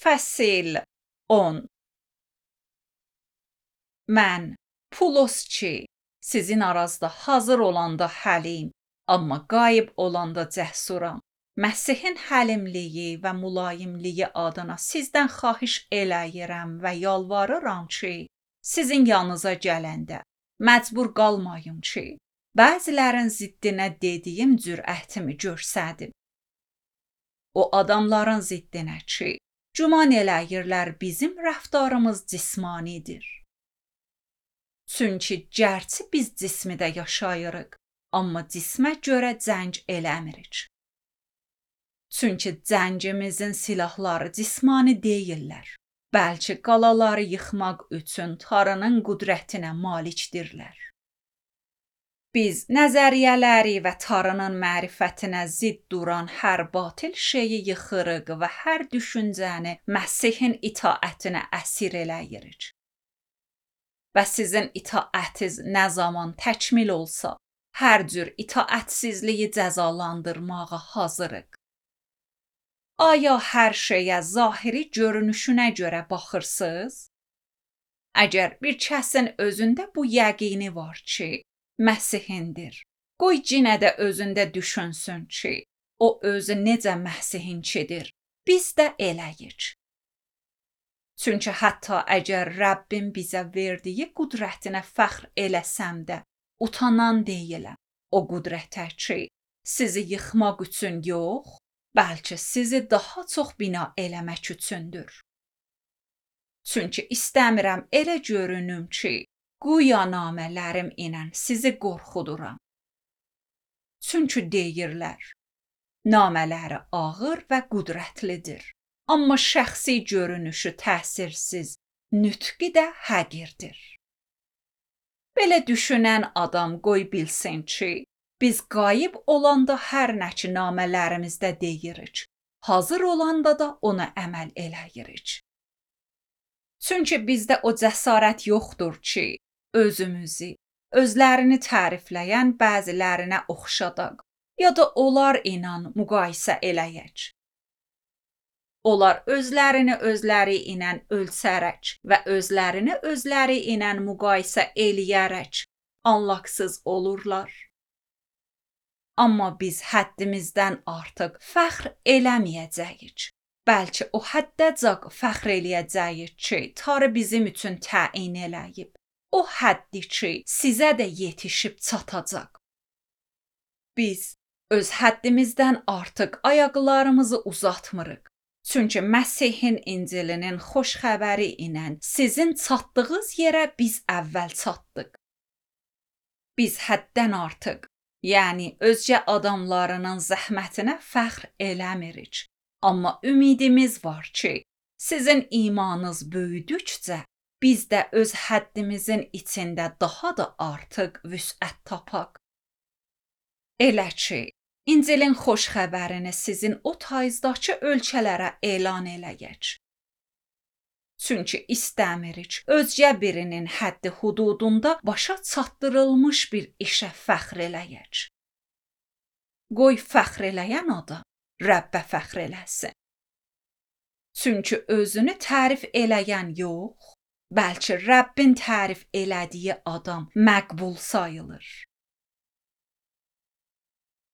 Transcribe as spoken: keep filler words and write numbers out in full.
Fəsil on. Mən Pulosçi, sizin arazda hazır olanda həlim, amma qayıb olanda cəsuram. Məsihin həlimliyi və mülayimliyi adına sizdən xahiş eləyirəm və yalvarıram ki, sizin yanınıza gələndə məcbur qalmayım ki, bəzilərin ziddinə dediyim cürətimi görsədim. O adamların ziddinə ki, güman eləyirlər bizim rəftarımız cismanidir. Çünki gərçi biz cismidə yaşayırıq, amma cismə görə cəng eləmirik. Çünki cəngimizin silahları cismani deyillər, bəlkə qalaları yıxmaq üçün Tanrının qüdrətinə malikdirlər. Biz nəzəriyyələri və Tanrının mərifətinə zidd duran hər batil şeyi yıxırıq və hər düşüncəni Məsihin itaətinə əsir eləyirik. Və sizin itaətiniz nə zaman təkmil olsa, hər cür itaətsizliyi cəzalandırmağa hazırıq. Aya hər şeyə zahiri görünüşünə görə baxırsınız? Əgər bir kəsin özündə bu yəqini var ki, Məsihindir, qoy yenə də özündə düşünsün ki, o özü necə Məsihinkidir, biz də eləyik. Çünki hətta əgər Rəbbin bizə verdiyi qüdrətinə fəxr eləsəm də, utanan deyiləm o qüdrətə ki, sizi yıxmaq üçün yox, bəlkə sizi daha çox bina eləmək üçündür. Çünki istəmirəm elə görünüm ki, güya namələrim ilə sizi qorxuduram. Çünki deyirlər, namələri ağır və qüdrətlidir, amma şəxsi görünüşü təsirsiz, nütqi də həqirdir. Belə düşünən adam qoy bilsin ki, biz qayıb olanda hər nə ki namələrimizdə deyirik, hazır olanda da ona əməl eləyirik. Çünki bizdə o cəsarət yoxdur ki, özümüzü, özlərini tərifləyən bəzilərinə oxşadaq, ya da onlar ilə müqayisə eləyək. Onlar özlərini özləri ilə ölçərək və özlərini özləri ilə müqayisə eləyərək anlaqsız olurlar. Amma biz həddimizdən artıq fəxr eləməyəcəyik. Bəlkə o həddəcək fəxr eləyəcəyik ki, Tanrı bizim üçün təyin eləyib. O həddi ki, sizə də yetişib çatacaq. Biz öz həddimizdən artıq ayaqlarımızı uzatmırıq. Çünki Məsihin İncilinin xoş xəbəri ilə sizin çatdığınız yerə biz əvvəl çatdıq. Biz həddən artıq, yəni özgə adamlarının zəhmətinə fəxr eləmirik. Amma ümidimiz var ki, sizin imanınız böyüdükcə, biz də öz həddimizin içində daha da artıq vüsət tapaq. Elə ki, İncilin xoş xəbərini sizin o tayızdakı ölkələrə elan eləyək. Çünki istəmirik özgə birinin həddi hududunda başa çatdırılmış bir işə fəxr eləyək. Qoy fəxr eləyən adam Rəbbə fəxr eləsin. Çünki özünü tərif eləyən yox, bəlkə Rəbbin tərif elədiyi adam məqbul sayılır.